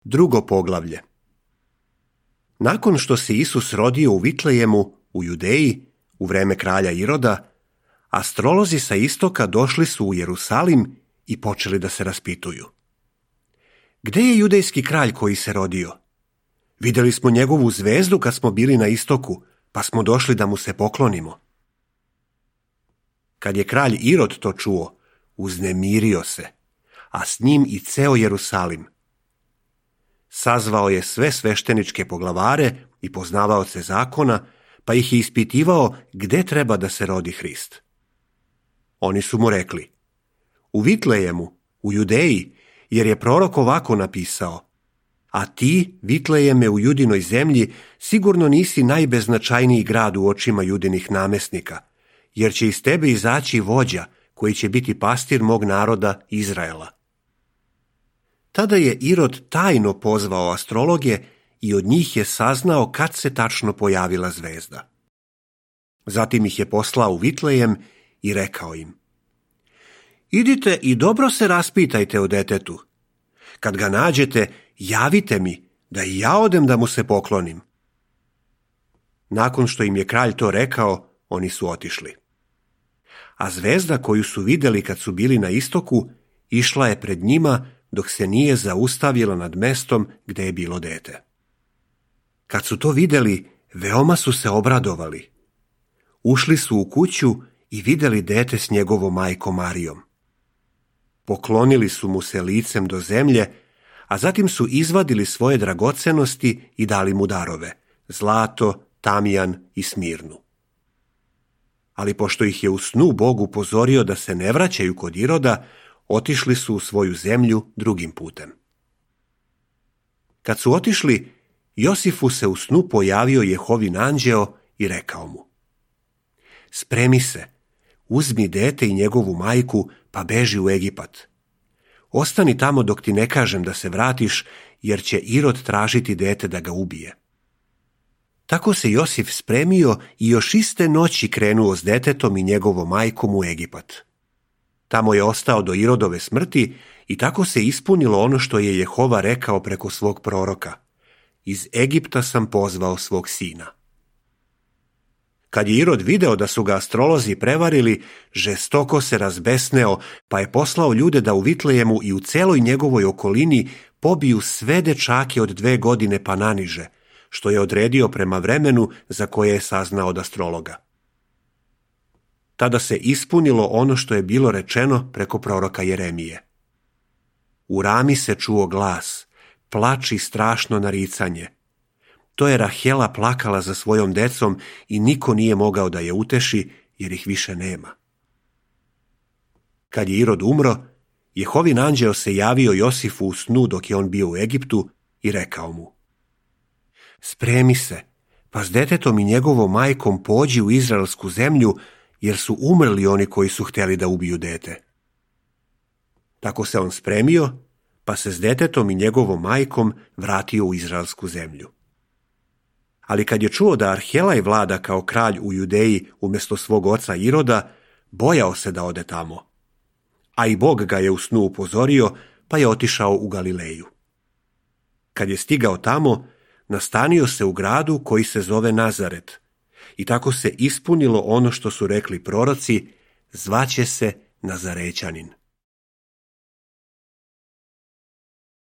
Drugo poglavlje. Nakon što se Isus rodio u Vitlejemu, u Judeji, u vreme kralja Iroda, astrolozi sa istoka došli su u Jerusalim i počeli da se raspituju. Gde je judejski kralj koji se rodio? Vidjeli smo njegovu zvezdu kad smo bili na istoku, pa smo došli da mu se poklonimo. Kad je kralj Irod to čuo, uznemirio se, a s njim i ceo Jerusalim. Sazvao je sve svešteničke poglavare i poznavaoce zakona, pa ih je ispitivao gde treba da se rodi Hrist. Oni su mu rekli: u Vitlejemu, u Judeji, jer je prorok ovako napisao: a ti, Vitlejeme u Judinoj zemlji, sigurno nisi najbeznačajniji grad u očima Judinih namesnika, jer će iz tebe izaći vođa koji će biti pastir mog naroda Izraela. Tada je Irod tajno pozvao astrologe i od njih je saznao kad se tačno pojavila zvezda. Zatim ih je poslao u Vitlejem i rekao im: idite i dobro se raspitajte o detetu. Kad ga nađete, javite mi, da i ja odem da mu se poklonim. Nakon što im je kralj to rekao, oni su otišli. A zvezda koju su vidjeli kad su bili na istoku, išla je pred njima dok se nije zaustavila nad mestom gde je bilo dete. Kad su to vidjeli, veoma su se obradovali. Ušli su u kuću i vidjeli dete s njegovom majkom Marijom. Poklonili su mu se licem do zemlje, a zatim su izvadili svoje dragocenosti i dali mu darove: zlato, tamijan i smirnu. Ali pošto ih je u snu Bog upozorio da se ne vraćaju kod Iroda, otišli su u svoju zemlju drugim putem. Kad su otišli, Josifu se u snu pojavio Jehovin anđeo i rekao mu: spremi se, uzmi dete i njegovu majku, pa beži u Egipat. Ostani tamo dok ti ne kažem da se vratiš, jer će Irod tražiti dete da ga ubije. Tako se Josif spremio i još iste noći krenuo s detetom i njegovom majkom u Egipat. Tamo je ostao do Irodove smrti i tako se ispunilo ono što je Jehova rekao preko svog proroka: iz Egipta sam pozvao svog sina. Kad je Irod video da su ga astrolozi prevarili, žestoko se razbesneo, pa je poslao ljude da u Vitlejemu i u celoj njegovoj okolini pobiju sve dečake od 2 godine pa naniže, što je odredio prema vremenu za koje je saznao od astrologa. Tada se ispunilo ono što je bilo rečeno preko proroka Jeremije. U Rami se čuo glas, plač i strašno naricanje. To je Rahela plakala za svojom decom i niko nije mogao da je uteši, jer ih više nema. Kad je Irod umro, Jehovin anđeo se javio Josifu u snu dok je on bio u Egiptu i rekao mu: spremi se, pa s detetom i njegovom majkom pođi u izraelsku zemlju, jer su umrli oni koji su htjeli da ubiju dete. Tako se on spremio, pa se s detetom i njegovom majkom vratio u izraelsku zemlju. Ali kad je čuo da Arhelaj vlada kao kralj u Judeji umjesto svog oca Iroda, bojao se da ode tamo. A i Bog ga je u snu upozorio, pa je otišao u Galileju. Kad je stigao tamo, nastanio se u gradu koji se zove Nazaret. I tako se ispunilo ono što su rekli proroci: zvaće se Nazarećanin.